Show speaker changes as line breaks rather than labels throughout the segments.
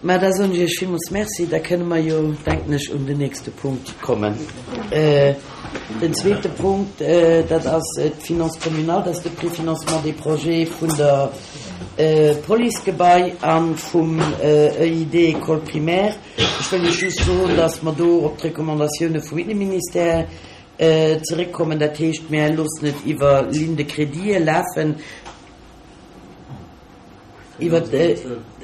Mä da soen ech Iech villmools Merci. Da kënne mer jo, denken ech, un den nächste Punkt kommen. Den zweete Punkt, dat ass d'Finance communale, dat ass de Préfinancement des projets vun der Policegebai a vum EID École primaire. Ech wëll Iech just soen, dass mer do op d'Recommandatioune vum Inneministère zeréckkommen. Dat heescht, mär loossen et iwwer Ligne de crédite lafen. Iwwer,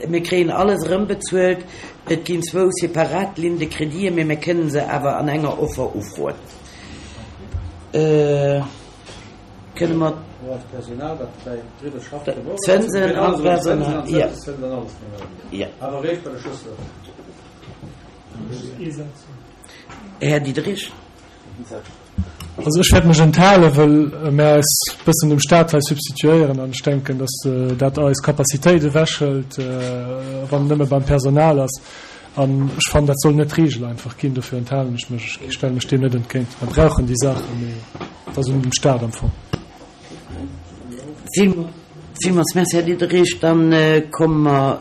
mir kréien alles erëmbezuelt. Et ginn zwou separat Lignes de créditen, mee mir kënnen se awer an enger Offer ufroen. Kënne mer. D'Zënsen an d'Personal, jo. Jo. Här Diderich.
Also ech wäert mech enthalen, wëll mär eis bëssen dem Staat hei substituéieren an ech denken, datt dat eis Capacitéit ewechhëlt, wann et nëmme beim Personal ass. An ech fannen, dat soll net d'Regel einfach ginn. Dofir enthalen ech mech. Ech stelle mech deem net entgéint. Mer brauchen déi Saachen, mee et ass un dem Staat am Fong.
Villmools Merci, Här Diderich. Dann komme mer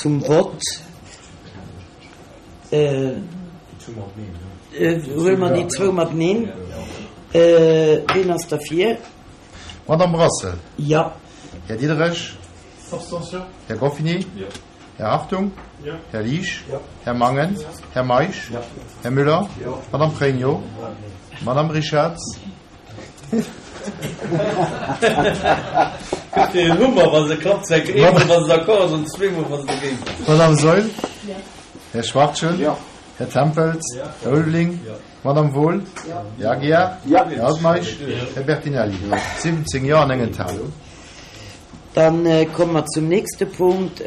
zum Vott. Huele mer déi zwou mateneen. Ween ass derfir?
Madame Brassel.
Jo.
Här Diderich.
Abstention.
Här Goffini.
Jo.
Här Hartung.
Jo.
Här Liesch.
Jo.
Här Mangen.
Jo.
Här Meisch.
Jo.
Här Müller.
Jo.
Madame Pregno. Madame Richarz.
Gëtt fir en Hummer, wa se klappt, zweck eemol wa se d'accord ass an zweemol wa se dogéint ass.
Madame Saeul. Här Schwachtgen.
Jo.
Här Tempels. Här Ulveling. Madame Wohl. Här Aguiar. Här Altmeisch. Här Bertinelli. 17 Jo an eng Enthalung.
Dann komme mer zum nächste Punkt,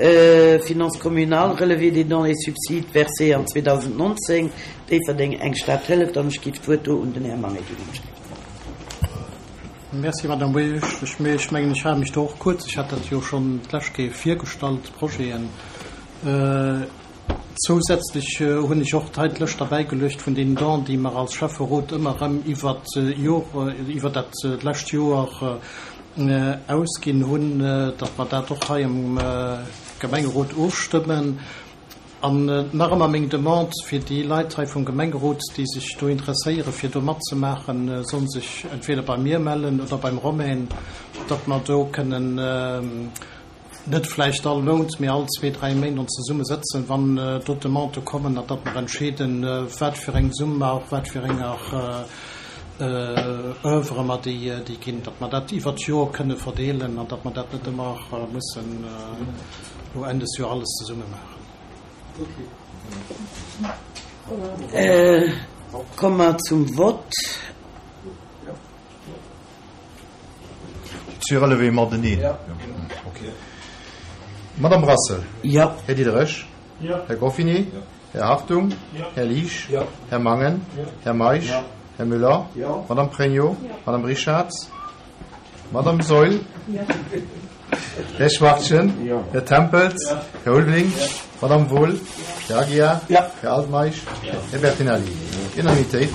Finances communales, relevé des dons et subsides versés en 2019, Déifferdeng, eng Stad hëlleft. An ech géif d'Wuert do un den Här Mangen ginn.
Merci, Madame Buerg. Ech mengen, ech hale mech do och kuerz. Ech hat dat jo schonn d'lescht Kéier virgestallt, d'Projeten. Zousätzlech hunn ech och hei d'Lëscht derbäigeluecht vun den Dons, déi mer als Schäfferot ëmmer erëm iwwert d'Jor, iwwer dat lescht Joer ausginn hunn, datt mer dat och hei am Gemengerot ofstëmmen. An nach ëmmer meng Demande fir déi Leit hei vum Gemengerot, déi sech do interesséieren, fir do matzemaachen, solle sech entweder bei mir mellen oder beim Romain, datt mer do kënnen net vläicht all Mount, mee all zwee, dräi Méint ons zesumme sëtzen, wann do d'Demandë kommen, an datt mer entscheeden, wat fir eng Summ a och wat fir enger Oeuvre mer déi ginn, datt mer dat iwwert d'Joer kënne verdeelen an datt mer dat net ëmmer mussen elo Enn des Joer alles zesumme maachen.
Komme mer zum Vott.
Zwee Relevé mateneen?
Ja.
Okay. Madame Brassel.
Jo.
Här Diderich.
Jo.
Här Goffini.
Jo.
Här Hartung.
Jo.
Här Liesch.
Jo.
Här Mangen.
Jo.
Här Meisch.
Jo.
Här Müller.
Jo.
Madame Pregno.
Jo.
Madame Richarz. Madame Saeul.
Jo.
Här Schwachtgen.
Jo.
Här Tempels.
Jo.
Här Ulveling.
Jo.
Madame Wohl.
Jo.
Här Aguiar.
Jo.
Här Altmeisch.
Jo.
Här Bertinelli. Unanimitéit.